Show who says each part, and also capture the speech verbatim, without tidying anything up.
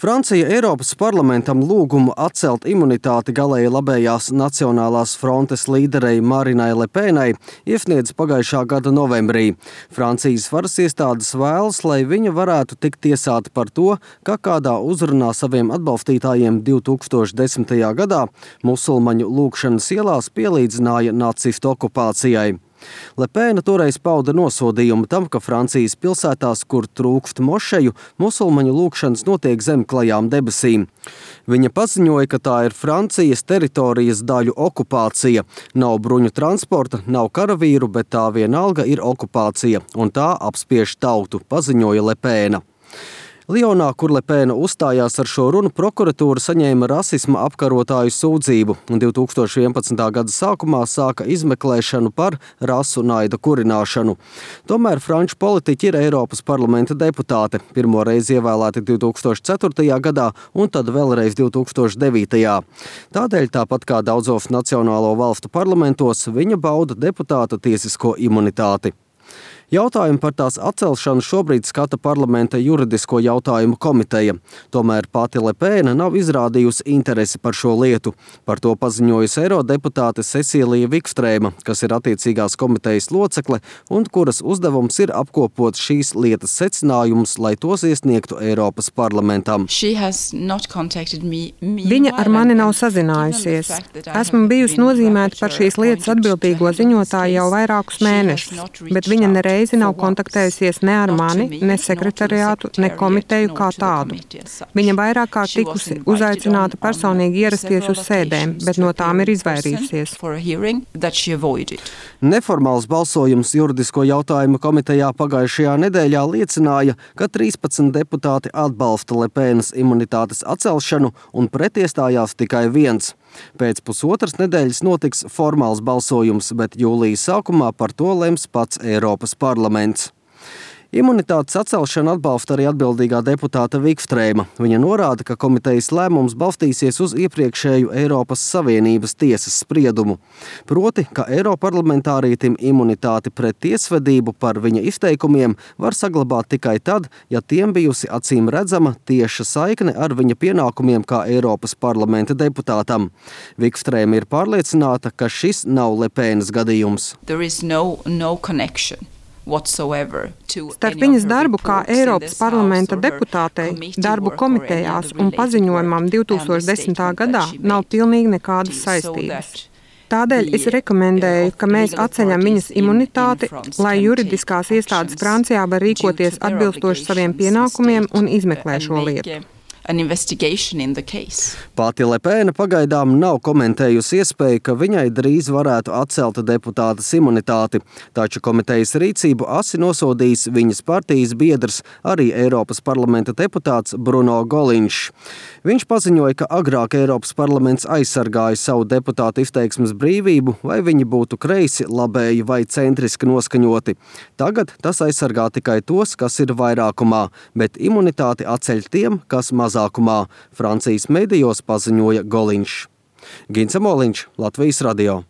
Speaker 1: Francija Eiropas parlamentam lūgumu atcelt imunitāti galēji labējās Nacionālās frontes līderei Marinai Le Penai iesniedz pagājušā gada novembrī. Francijas varas iestādes vēlas, lai viņa varētu tikt tiesāta par to, ka kādā uzrunā saviem atbalstītājiem divi tūkstoši desmitajā gadā musulmaņu lūgšanas ielās pielīdzināja nacistu okupācijai. Le Pena toreiz pauda nosodījumu tam, ka Francijas pilsētās, kur trūkst mošeju, musulmaņu lūgšanas notiek zem klajām debesīm. Viņa paziņoja, ka tā ir Francijas teritorijas daļu okupācija. Nav bruņu transporta, nav karavīru, bet tā vienalga ir okupācija, un tā apspiež tautu, paziņoja Le Pena. Lionā, kur Le Pena uzstājās ar šo runu, prokuratūra saņēma rasisma apkarotāju sūdzību un divi tūkstoši vienpadsmitā gada sākumā sāka izmeklēšanu par rasu naida kurināšanu. Tomēr franču politiķi ir Eiropas parlamenta deputāte, pirmo reizi ievēlēti divi tūkstoši ceturtajā gadā un tad vēlreiz divi tūkstoši devītajā. Tādēļ, tāpat kā daudzos nacionālo valstu parlamentos, viņa bauda deputāta tiesisko imunitāti. Jautājumu par tās atcelšanu šobrīd skata parlamenta juridisko jautājumu komiteja. Tomēr pati Le Pena nav izrādījusi interesi par šo lietu. Par to paziņojusi eirodeputāte Cecīlija Vikstrēma, kas ir attiecīgās komitejas locekle un kuras uzdevums ir apkopot šīs lietas secinājumus, lai tos iesniegtu Eiropas parlamentam.
Speaker 2: Viņa ar mani nav sazinājusies. Esmu bijusi nozīmēta par šīs lietas atbildīgo ziņotāju jau vairākus mēnešus, bet viņa nereiz nav kontaktējusies ne ar mani, ne sekretariātu, ne komiteju kā tādu. Viņa vairāk kā tikusi uzaicināta personīgi ierasties uz sēdēm, bet no tām ir izvairījusies.
Speaker 1: Neformāls balsojums juridisko jautājumu komitejā pagājušajā nedēļā liecināja, ka trīspadsmit deputāti atbalsta Le Penas imunitātes atcelšanu un pretiestājās tikai viens. Pēc pusotras nedēļas notiks formāls balsojums, bet jūlijas sākumā par to lems pats Eiropas parlaments. Imunitātes atcelšanu atbalsta arī atbildīgā deputāta Vikstrēma. Viņa norāda, ka komitejas lēmums balstīsies uz iepriekšēju Eiropas Savienības tiesas spriedumu. Proti, ka eiroparlamentārietim imunitāti pret tiesvedību par viņa izteikumiem var saglabāt tikai tad, ja tiem bijusi acīm redzama tieša saikne ar viņa pienākumiem kā Eiropas parlamenta deputātam. Vikstrēma ir pārliecināta, ka šis nav Le Penas gadījums.
Speaker 2: Starp viņas darbu kā Eiropas parlamenta deputātei, darbu komitejās un paziņojumam divi tūkstoši desmitā gadā nav pilnīgi nekādas saistības. Tādēļ es rekomendēju, ka mēs atceļam viņas imunitāti, lai juridiskās iestādes Francijā var rīkoties atbilstoši saviem pienākumiem un izmeklē šo lietu.
Speaker 1: Pati Le Pena pagaidām nav komentējusi iespēju, ka viņai drīz varētu atcelt deputātas imunitāti, taču komitejas rīcību asi nosodījis viņas partijas biedrs, arī Eiropas parlamenta deputāts Bruno Goliņš. Viņš paziņoja, ka agrāk Eiropas parlaments aizsargāja savu deputātu izteiksmes brīvību, vai viņi būtu kreisi, labēji vai centriski noskaņoti. Tagad tas aizsargā tikai tos, kas ir vairākumā, bet imunitāti atceļ tiem, kas mazākumā, Francijas medijos paziņoja Goliņš. Gints Amoliņš, Latvijas radio.